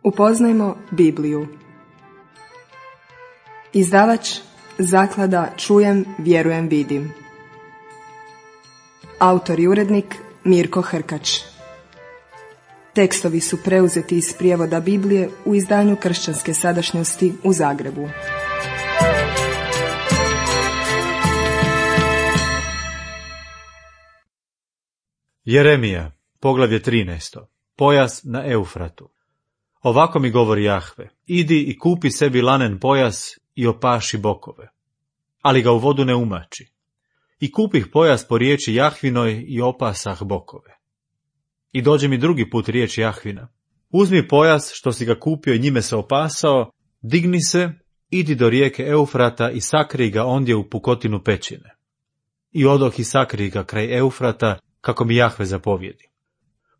Upoznajmo Bibliju. Izdavač Zaklada Čujem, vjerujem, vidim. Autor i urednik Mirko Hrkač. Tekstovi su preuzeti iz prijevoda Biblije u izdanju Kršćanske sadašnjosti u Zagrebu. Jeremija, poglavlje 13. Pojas na Eufratu. Ovako mi govori Jahve: idi i kupi sebi lanen pojas i opaši bokove, ali ga u vodu ne umači. I kupih pojas po riječi Jahvinoj i opasah bokove. I dođe mi drugi put riječ Jahvina: uzmi pojas što si ga kupio i njime se opasao, digni se, idi do rijeke Eufrata i sakrij ga ondje u pukotinu pećine. I odoh i sakrij ga kraj Eufrata, kako mi Jahve zapovjedi.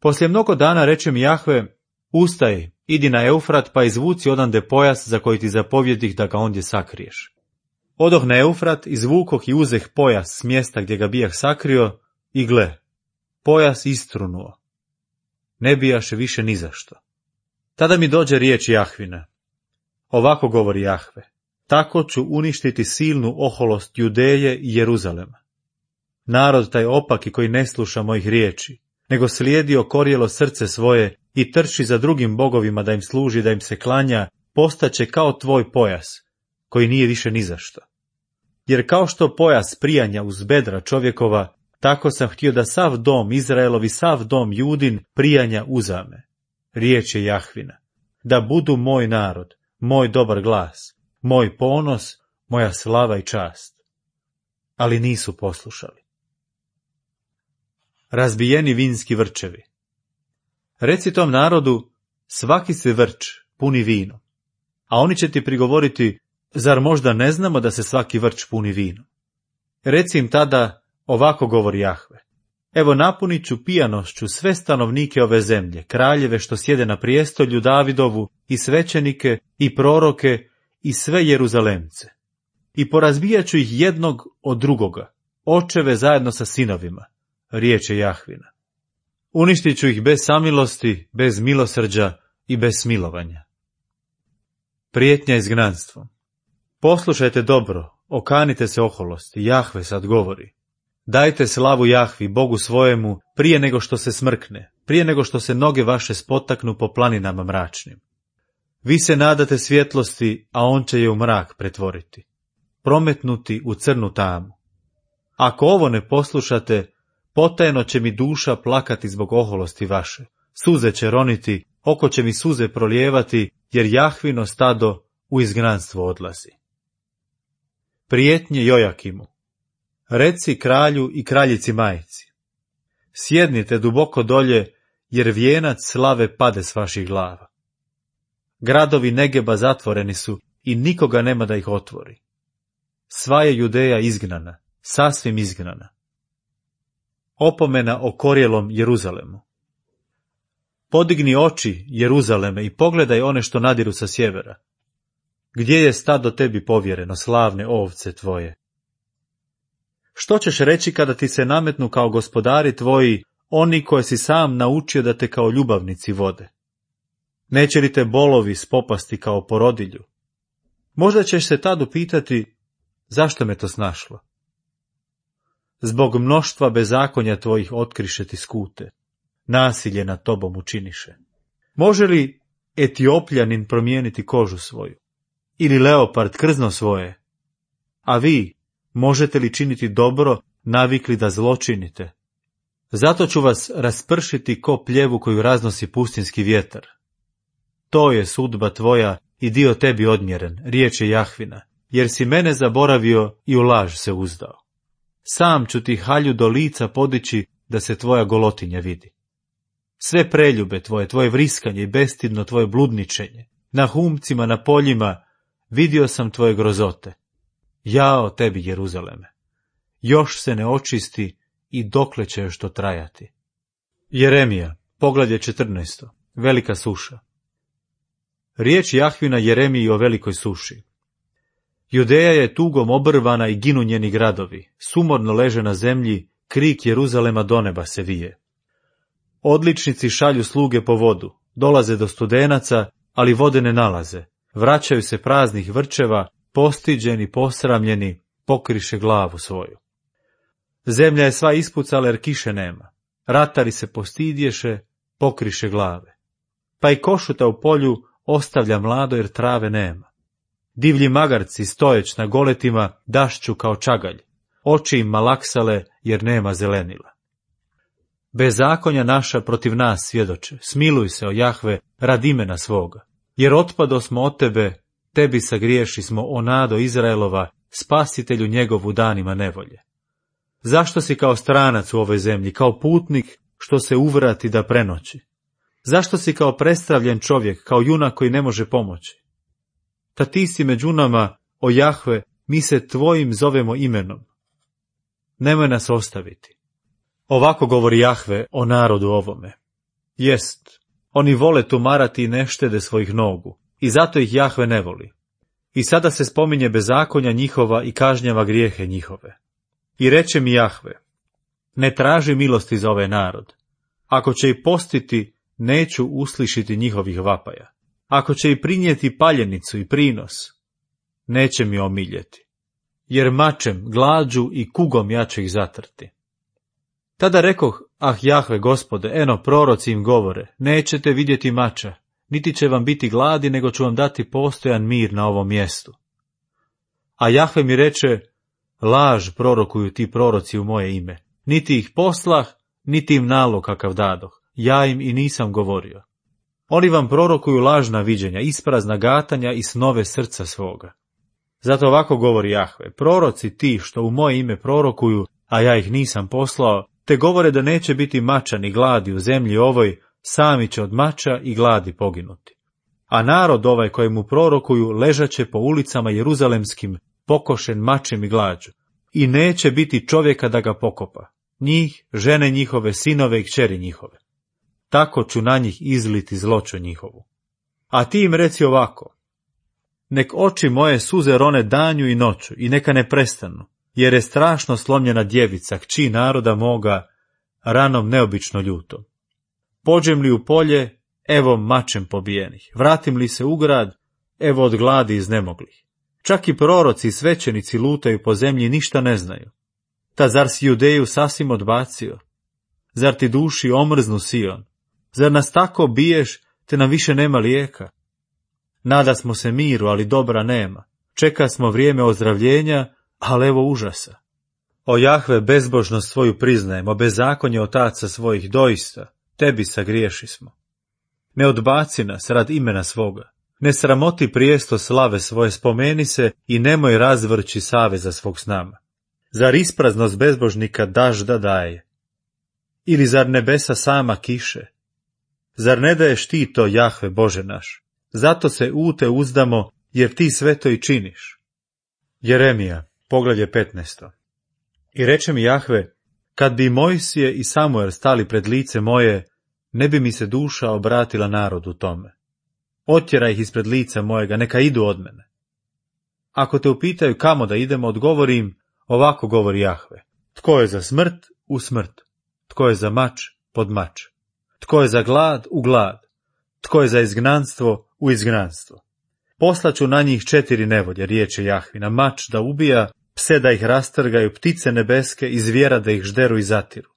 Poslije mnogo dana reče mi Jahve: ustaj, idi na Eufrat pa izvuci odande pojas za koji ti zapovjedih da ga ondje sakriješ. Odoh na Eufrat, izvukoh i uzeh pojas s mjesta gdje ga bijah sakrio i gle, pojas istrunuo. Ne bijaše više ni zašto. Tada mi dođe riječ Jahvina: ovako govori Jahve: tako ću uništiti silnu oholost Judeje i Jeruzalema. Narod taj opaki koji ne sluša mojih riječi, nego slijedi okorjelo srce svoje i trči za drugim bogovima da im služi, da im se klanja, postaće kao tvoj pojas, koji nije više ni zašto. Jer kao što pojas prijanja uz bedra čovjekova, tako sam htio da sav dom Izraelovi, sav dom Judin prijanja uzame. Riječ je Jahvina: da budu moj narod, moj dobar glas, moj ponos, moja slava i čast. Ali nisu poslušali. Razbijeni vinski vrčevi. Reci tom narodu: svaki se vrč puni vino. A oni će ti prigovoriti: zar možda ne znamo da se svaki vrč puni vino? Reci im tada: ovako govori Jahve: evo napunit ću pijanošću sve stanovnike ove zemlje, kraljeve što sjede na prijestolju Davidovu, i svećenike, i proroke, i sve Jeruzalemce. I porazbijat ću ih jednog od drugoga, očeve zajedno sa sinovima. Riječ je Jahvina. Uništit ću ih bez samilosti, bez milosrđa i bez smilovanja. Prijetnja izgnanstvom. Poslušajte dobro, okanite se oholosti, Jahve sad govori: dajte slavu Jahvi, Bogu svojemu, prije nego što se smrkne, prije nego što se noge vaše spotaknu po planinama mračnim. Vi se nadate svjetlosti, a on će je u mrak pretvoriti, prometnuti u crnu tamu. Ako ovo ne poslušate, potajno će mi duša plakati zbog oholosti vaše, suze će roniti, oko će mi suze prolijevati, jer Jahvino stado u izgnanstvo odlazi. Prijetnje Jojakimu. Reci kralju i kraljici majci: sjednite duboko dolje, jer vijenac slave pade s vaših glava. Gradovi Negeba zatvoreni su i nikoga nema da ih otvori. Sva je Judeja izgnana, sasvim izgnana. Opomena o korjelom Jeruzalemu. Podigni oči, Jeruzaleme, i pogledaj one što nadiru sa sjevera. Gdje je stado tebi povjereno, slavne ovce tvoje? Što ćeš reći kada ti se nametnu kao gospodari tvoji, oni koje si sam naučio da te kao ljubavnici vode? Neće li te bolovi spopasti kao porodilju? Možda ćeš se tad upitati: zašto me to snašlo? Zbog mnoštva bezakonja tvojih otkriše ti skute, nasilje nad tobom učiniše. Može li Etiopljanin promijeniti kožu svoju? Ili leopard krzno svoje? A vi, možete li činiti dobro, navikli da zlo činite? Zato ću vas raspršiti ko pljevu koju raznosi pustinski vjetar. To je sudba tvoja i dio tebi odmjeren, riječ je Jahvina, jer si mene zaboravio i u laž se uzdao. Sam ću ti halju do lica podići da se tvoja golotinja vidi. Sve preljube tvoje, tvoje vriskanje i bestidno tvoje bludničenje, na humcima, na poljima, vidio sam tvoje grozote. Jao tebi, Jeruzaleme! Još se ne očisti i dokle će još to trajati. Jeremija, poglavlje 14. Velika suša. Riječ Jahvina Jeremiji o velikoj suši. Judeja je tugom obrvana i ginu njeni gradovi, sumorno leže na zemlji, krik Jeruzalema do neba se vije. Odličnici šalju sluge po vodu, dolaze do studenaca ali vode ne nalaze. Vraćaju se praznih vrčeva, postiđeni, posramljeni, pokriše glavu svoju. Zemlja je sva ispucala jer kiše nema. Ratari se postidješe, pokriše glave. Pa i košuta u polju ostavlja mlado jer trave nema. Divlji magarci stojeć na goletima dašću kao čagalj. Oči im malaksale jer nema zelenila. Bezakonja naša protiv nas svjedoče. Smiluj se, o Jahve, radi imena svoga. Jer otpado smo od tebe, tebi sagriješi smo, o nado Izraelova, spasitelju njegovu danima nevolje. Zašto si kao stranac u ovoj zemlji, kao putnik što se uvrati da prenoći? Zašto si kao prestravljen čovjek, kao junak koji ne može pomoći? Ta ti si među nama, o Jahve, mi se tvojim zovemo imenom. Nemoj nas ostaviti. Ovako govori Jahve o narodu ovome. Jest, oni vole tumarati i ne štede svojih nogu, i zato ih Jahve ne voli. I sada se spominje bezakonja njihova i kažnjava grijehe njihove. I reče mi Jahve, ne traži milosti za ovaj narod. Ako će i postiti, neću uslišiti njihovih vapaja. Ako će i prinijeti paljenicu i prinos, neće mi omiljeti. Jer mačem, glađu i kugom ja ću ih zatrti. Tada rekoh, Jahve, Gospode, eno, proroci im govore, nećete vidjeti mača, niti će vam biti gladi, nego ću vam dati postojan mir na ovom mjestu. A Jahve mi reče, laž prorokuju ti proroci u moje ime, niti ih poslah, niti im nalog kakav dadoh, ja im i nisam govorio. Oni vam prorokuju lažna viđenja, isprazna gatanja i snove srca svoga. Zato ovako govori Jahve, proroci ti što u moje ime prorokuju, a ja ih nisam poslao, te govore da neće biti mača ni gladi u zemlji ovoj, sami će od mača i gladi poginuti. A narod ovaj kojemu prorokuju ležaće po ulicama jeruzalemskim, pokošen mačem i glađu, i neće biti čovjeka da ga pokopa, njih, žene njihove, sinove i kćeri njihove. Tako ću na njih izliti zloću njihovu. A ti im reci ovako, nek oči moje suze rone danju i noću i neka ne prestanu, jer je strašno slomljena djevica, kći naroda moga, ranom neobično ljutom. Pođem li u polje, evo mačem pobijenih, vratim li se u grad, evo od gladi iznemoglih. Čak i proroci i svećenici lutaju po zemlji, ništa ne znaju. Ta zar si Judeju sasvim odbacio? Zar ti duši omrznu Sion? Zar nas tako biješ, te nam više nema lijeka? Nada smo se miru, ali dobra nema. Čeka smo vrijeme ozdravljenja, ali evo užasa. O Jahve, bezbožnost svoju priznajemo, bezakonje otaca svojih doista, tebi sagriješi smo. Ne odbaci nas rad imena svoga, ne sramoti prijesto slave svoje, spomeni se i nemoj razvrći saveza svog s nama. Zar ispraznost bezbožnika dažda daje? Ili zar nebesa sama kiše? Zar ne daješ ti to, Jahve, Bože naš? Zato se u te uzdamo, jer ti sve to i činiš. Jeremija, poglavlje 15. I reče mi Jahve, kad bi Mojsije i Samuel stali pred lice moje, ne bi mi se duša obratila narodu tome. Otjeraj ih ispred lica mojega, neka idu od mene. Ako te upitaju kamo da idemo, odgovorim, ovako govori Jahve. Tko je za smrt, u smrt. Tko je za mač, pod mač. Tko je za glad, u glad. Tko je za izgnanstvo, u izgnanstvo. Poslaću na njih 4 nevolje, riječe Jahvina, mač da ubija, pse da ih rastrgaju, ptice nebeske i zvijera da ih žderu i zatiru.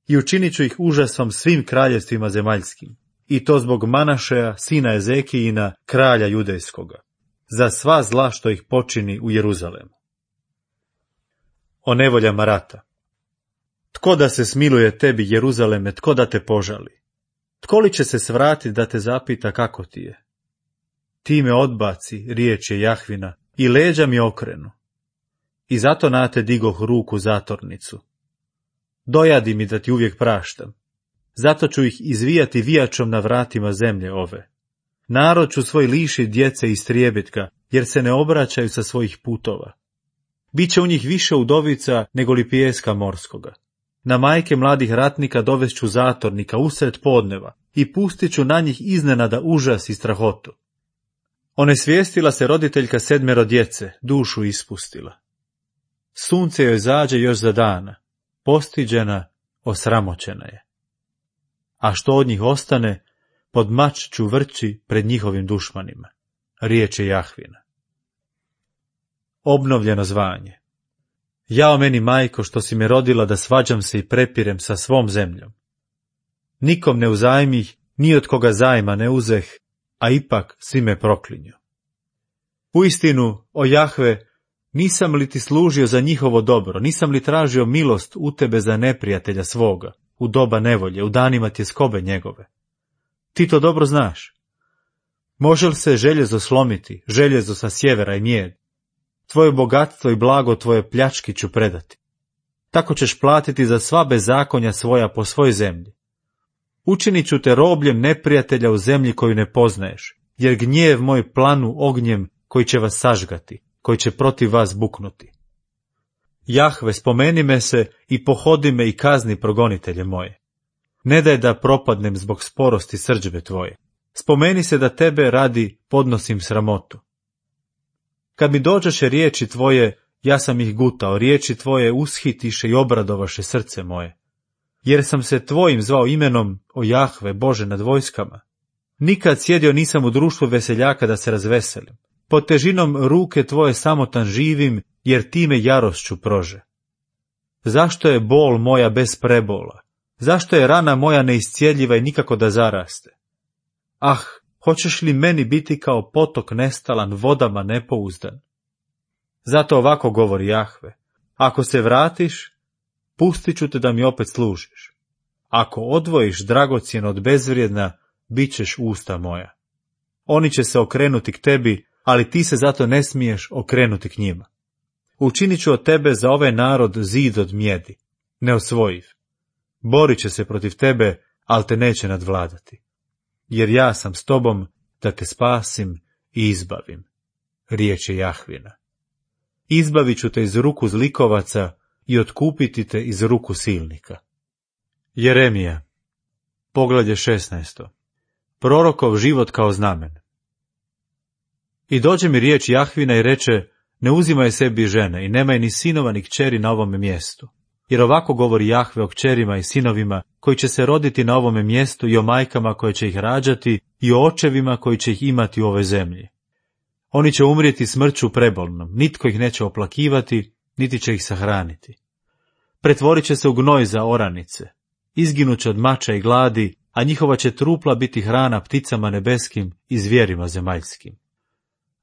I učinit ću ih užasom svim kraljevstvima zemaljskim, i to zbog Manašeja, sina Ezekijina, kralja judejskoga, za sva zla što ih počini u Jeruzalemu. O nevoljama rata. Tko da se smiluje tebi, Jeruzaleme, tko da te požali? Tko li će se svratiti da te zapita kako ti je? Ti me odbaci, riječ je Jahvina, i leđa mi okrenu. I zato na te digoh ruku zatornicu. Dojadi mi da ti uvijek praštam. Zato ću ih izvijati vijačom na vratima zemlje ove. Narod ću svoj liši djece istrijebitka, jer se ne obraćaju sa svojih putova. Biće u njih više udovica nego li pijeska morskoga. Na majke mladih ratnika dovešću zatornika usred podneva i pustit ću na njih iznenada užas i strahotu. Onesvijestila se roditeljka 7 djece, dušu ispustila. Sunce joj zađe još za dana, postiđena, osramoćena je. A što od njih ostane, pod mač ću vrći pred njihovim dušmanima. Riječ je Jahvina. Obnovljeno zvanje. Jao meni, majko, što si me rodila da svađam se i prepirem sa svom zemljom. Nikom ne uzajmih, ni od koga zajma ne uzeh, a ipak svi me proklinju. Uistinu, o Jahve, nisam li ti služio za njihovo dobro, nisam li tražio milost u tebe za neprijatelja svoga, u doba nevolje, u danima tjeskobe njegove? Ti to dobro znaš. Može li se željezo slomiti, željezo sa sjevera i mijed? Tvoje bogatstvo i blago tvoje pljački ću predati. Tako ćeš platiti za sva bezakonja svoja po svoj zemlji. Učinit ću te robljem neprijatelja u zemlji koju ne poznaješ, jer gnjev moj planu ognjem koji će vas sažgati, koji će protiv vas buknuti. Jahve, spomeni me se i pohodi me i kazni progonitelje moje. Ne daj da propadnem zbog sporosti srdžbe tvoje. Spomeni se da tebe radi podnosim sramotu. Kad mi dođeše riječi tvoje, ja sam ih gutao, riječi tvoje ushitiše i obradovaše srce moje. Jer sam se tvojim zvao imenom, o Jahve, Bože nad vojskama. Nikad sjedio nisam u društvu veseljaka da se razveselim. Pod težinom ruke tvoje samotan živim, jer time jarošću prože. Zašto je bol moja bez prebola? Zašto je rana moja neiscijeljiva i nikako da zaraste? Ah, hoćeš li meni biti kao potok nestalan, vodama nepouzdan? Zato ovako govori Jahve, ako se vratiš, pustit ću te da mi opet služiš. Ako odvojiš dragocjeno od bezvrijedna, bit ćeš usta moja. Oni će se okrenuti k tebi, ali ti se zato ne smiješ okrenuti k njima. Učinit ću od tebe za ovaj narod zid od mjedi, neosvojiv. Borit će se protiv tebe, ali te neće nadvladati. Jer ja sam s tobom da te spasim i izbavim. Riječ je Jahvina. Izbavit ću te iz ruku zlikovaca i otkupiti te iz ruku silnika. Jeremija, poglavlje 16. Prorokov život kao znamen. I dođe mi riječ Jahvina i reče, ne uzimaj sebi žene i nemaj ni sinova ni kćeri na ovome mjestu. Jer ovako govori Jahve o kćerima i sinovima koji će se roditi na ovome mjestu i o majkama koje će ih rađati i o očevima koji će ih imati u ovoj zemlji. Oni će umrijeti smrću prebolnom, nitko ih neće oplakivati, niti će ih sahraniti. Pretvorit će se u gnoj za oranice, izginut će od mača i gladi, a njihova će trupla biti hrana pticama nebeskim i zvijerima zemaljskim.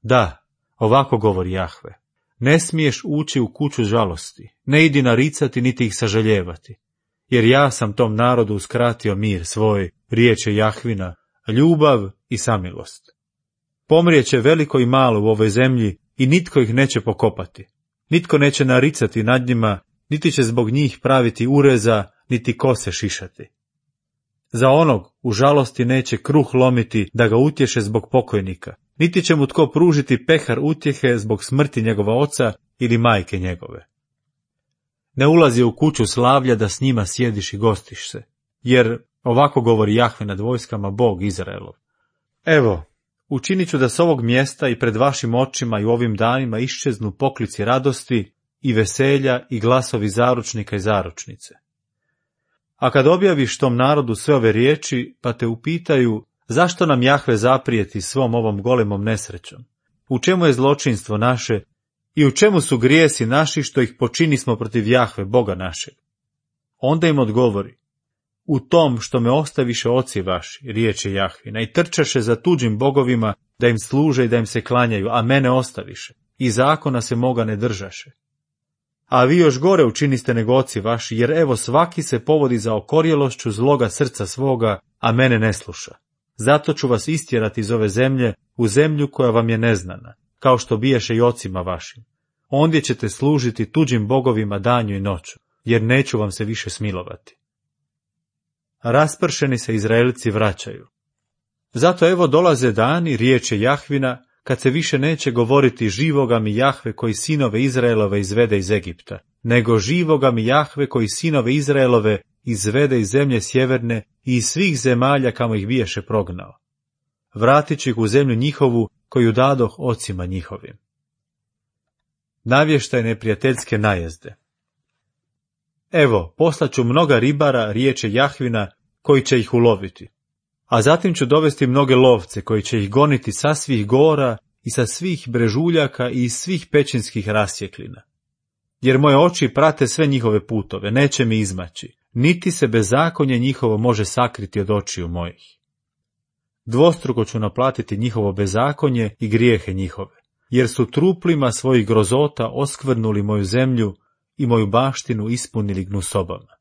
Da, ovako govori Jahve. Ne smiješ ući u kuću žalosti, ne idi naricati niti ih sažaljevati, jer ja sam tom narodu uskratio mir svoj, riječ je Jahvina, ljubav i samilost. Pomrijeće veliko i malo u ovoj zemlji i nitko ih neće pokopati, nitko neće naricati nad njima, niti će zbog njih praviti ureza, niti kose šišati. Za onog u žalosti neće kruh lomiti da ga utješe zbog pokojnika, niti će mu tko pružiti pehar utjehe zbog smrti njegova oca ili majke njegove. Ne ulazi u kuću slavlja da s njima sjediš i gostiš se, jer ovako govori Jahve nad vojskama, Bog Izraelov. Evo, učinit ću da s ovog mjesta i pred vašim očima i u ovim danima iščeznu poklici radosti i veselja i glasovi zaručnika i zaručnice. A kad objaviš tom narodu sve ove riječi, pa te upitaju, zašto nam Jahve zaprijeti svom ovom golemom nesrećom? U čemu je zločinstvo naše i u čemu su grijesi naši što ih počinismo protiv Jahve, Boga našeg? Onda im odgovori, u tom što me ostaviše oci vaši, riječ je Jahvina, i trčaše za tuđim bogovima da im služe i da im se klanjaju, a mene ostaviše, i zakona se moga ne držaše. A vi još gore učiniste nego oci vaši, jer evo svaki se povodi za okorjelošću zloga srca svoga, a mene ne sluša. Zato ću vas istjerati iz ove zemlje u zemlju koja vam je neznana, kao što biješe i ocima vašim. Ondje ćete služiti tuđim bogovima danju i noću, jer neću vam se više smilovati. Raspršeni se Izraelci vraćaju. Zato evo dolaze dani, riječ je Jahvina, kad se više neće govoriti živoga mi Jahve koji sinove Izraelove izvede iz Egipta, nego živoga mi Jahve koji sinove Izraelove izvede iz zemlje sjeverne i iz svih zemalja kamo ih biješe prognao. Vratit ću ih u zemlju njihovu koju dadoh ocima njihovim. Navještaj neprijateljske najezde. Evo, poslaću mnoga ribara, riječ je Jahvina, koji će ih uloviti. A zatim ću dovesti mnoge lovce koji će ih goniti sa svih gora i sa svih brežuljaka i iz svih pećinskih rasjeklina. Jer moje oči prate sve njihove putove, neće mi izmaći, niti se bezakonje njihovo može sakriti od očiju mojih. Dvostruko ću naplatiti njihovo bezakonje i grijehe njihove, jer su truplima svojih grozota oskvrnuli moju zemlju i moju baštinu ispunili gnusobama.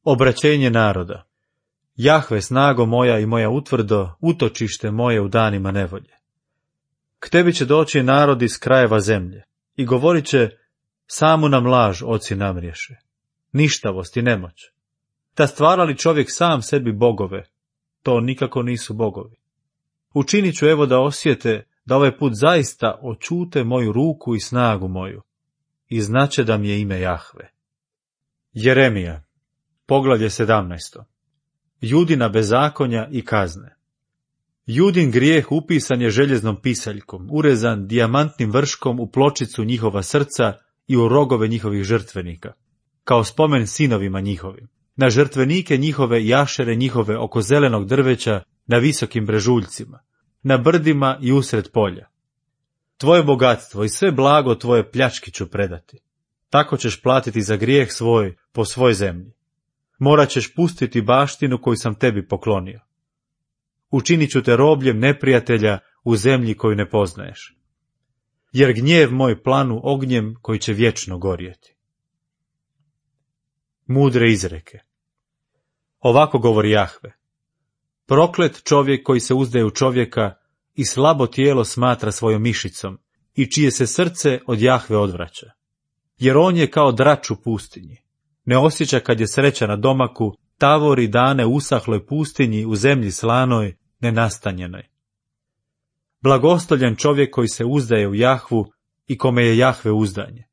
Obraćenje naroda. Jahve, snago moja i moja utvrdo, utočište moje u danima nevolje. K tebi će doći narod iz krajeva zemlje i govorit će, samu nam laž oci namriješe, ništavost i nemoć. Ta stvara li čovjek sam sebi bogove, to nikako nisu bogovi. Učinit ću evo da osjete da ovaj put zaista očute moju ruku i snagu moju i znaće da mi je ime Jahve. Jeremija, poglavlje 17. Judina bezakonja i kazne. Judin grijeh upisan je željeznom pisaljkom, urezan dijamantnim vrškom u pločicu njihova srca i u rogove njihovih žrtvenika, kao spomen sinovima njihovim, na žrtvenike njihove i ašere njihove oko zelenog drveća, na visokim brežuljcima, na brdima i usred polja. Tvoje bogatstvo i sve blago tvoje pljački ću predati. Tako ćeš platiti za grijeh svoj po svoj zemlji. Morat ćeš pustiti baštinu koju sam tebi poklonio. Učinit ću te robljem neprijatelja u zemlji koju ne poznaješ. Jer gnjev moj planu ognjem koji će vječno gorjeti. Mudre izreke. Ovako govori Jahve. Proklet čovjek koji se uzdaje u čovjeka i slabo tijelo smatra svojom mišicom i čije se srce od Jahve odvraća. Jer on je kao drač u pustinji. Ne osjeća kad je sreća na domaku, tavori dane usahloj pustinji u zemlji slanoj, nenastanjenoj. Blagostoljan čovjek koji se uzdaje u Jahvu i kome je Jahve uzdanje.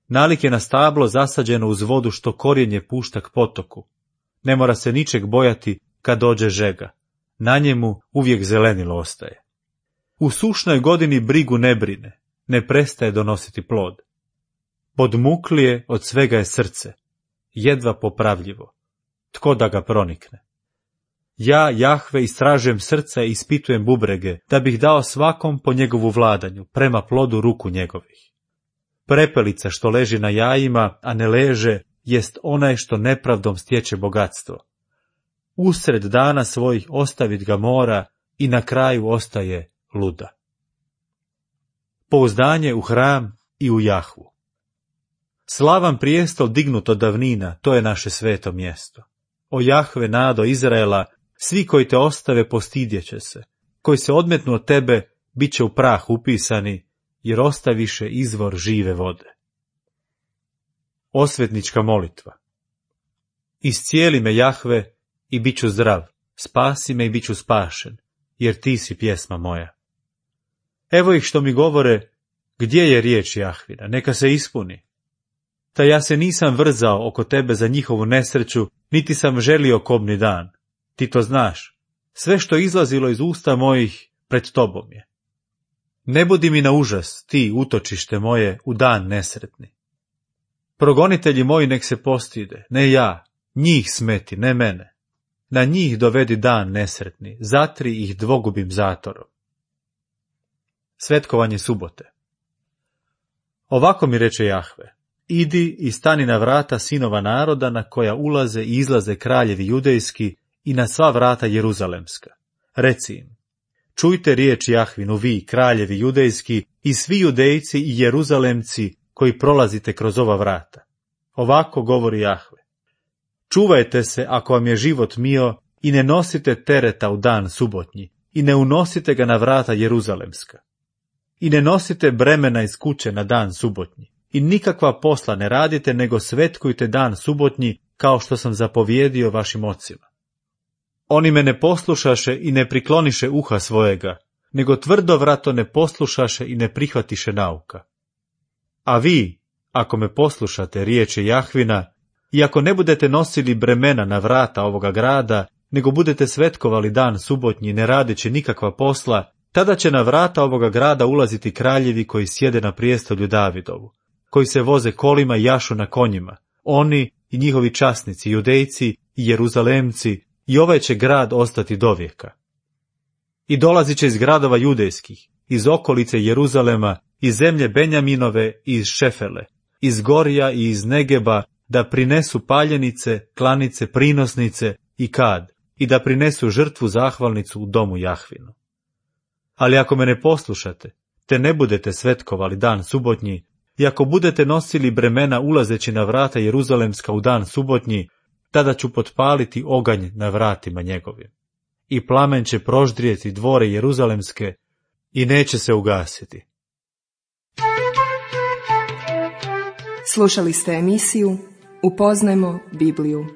Nalik je na stablo zasađeno uz vodu što korijenje pušta k potoku. Ne mora se ničeg bojati kad dođe žega. Na njemu uvijek zelenilo ostaje. U sušnoj godini brigu ne brine, ne prestaje donositi plod. Podmuklije od svega je srce, jedva popravljivo. Tko da ga pronikne? Ja, Jahve, istražujem srca i ispitujem bubrege, da bih dao svakom po njegovu vladanju, prema plodu ruku njegovih. Prepelica što leži na jajima, a ne leže, jest onaj što nepravdom stječe bogatstvo. Usred dana svojih ostavit ga mora i na kraju ostaje luda. Pouzdanje u hram i u Jahvu. Slavan prijestol dignut od davnina, to je naše sveto mjesto. O Jahve, nado Izraela, svi koji te ostave postidjeće se, koji se odmetnu od tebe, bit će u prah upisani, jer ostaviše izvor žive vode. Osvetnička molitva. Iscijeli me, Jahve, i bit ću zdrav, spasi me i bit ću spašen, jer ti si pjesma moja. Evo ih što mi govore, gdje je riječ Jahvina, neka se ispuni. Ta ja se nisam vrzao oko tebe za njihovu nesreću, niti sam želio kobni dan. Ti to znaš, sve što izlazilo iz usta mojih pred tobom je. Ne budi mi na užas, ti, utočište moje, u dan nesretni. Progonitelji moji nek se postide, ne ja, njih smeti, ne mene. Na njih dovedi dan nesretni, zatri ih dvogubim zatorom. Svetkovanje subote. Ovako mi reče Jahve, idi i stani na vrata sinova naroda na koja ulaze i izlaze kraljevi judejski i na sva vrata jeruzalemska. Reci im, čujte riječ Jahvinu vi, kraljevi judejski, i svi judejci i jeruzalemci koji prolazite kroz ova vrata. Ovako govori Jahve. Čuvajte se ako vam je život mio i ne nosite tereta u dan subotnji i ne unosite ga na vrata jeruzalemska. I ne nosite bremena iz kuće na dan subotnji i nikakva posla ne radite nego svetkujte dan subotnji kao što sam zapovjedio vašim ocima. Oni me ne poslušaše i ne prikloniše uha svojega, nego tvrdovrato ne poslušaše i ne prihvatiše nauka. A vi, ako me poslušate riječi Jahvina, i ako ne budete nosili bremena na vrata ovoga grada, nego budete svetkovali dan subotnji ne radeći nikakva posla, tada će na vrata ovoga grada ulaziti kraljevi koji sjede na prijestolju Davidovu, koji se voze kolima i jašu na konjima, oni i njihovi časnici, judejci i jeruzalemci, i ovaj će grad ostati dovijeka. I dolazit će iz gradova judejskih, iz okolice Jeruzalema, iz zemlje Benjaminove i iz Šefele, iz Gorija i iz Negeba, da prinesu paljenice, klanice, prinosnice i kad, i da prinesu žrtvu zahvalnicu u domu Jahvinu. Ali ako me ne poslušate, te ne budete svetkovali dan subotnji, i ako budete nosili bremena ulazeći na vrata Jeruzalemska u dan subotnji, tada ću potpaliti oganj na vratima njegovim. I plamen će proždrijeti dvore Jeruzalemske i neće se ugasiti. Slušali ste emisiju Upoznajmo Bibliju.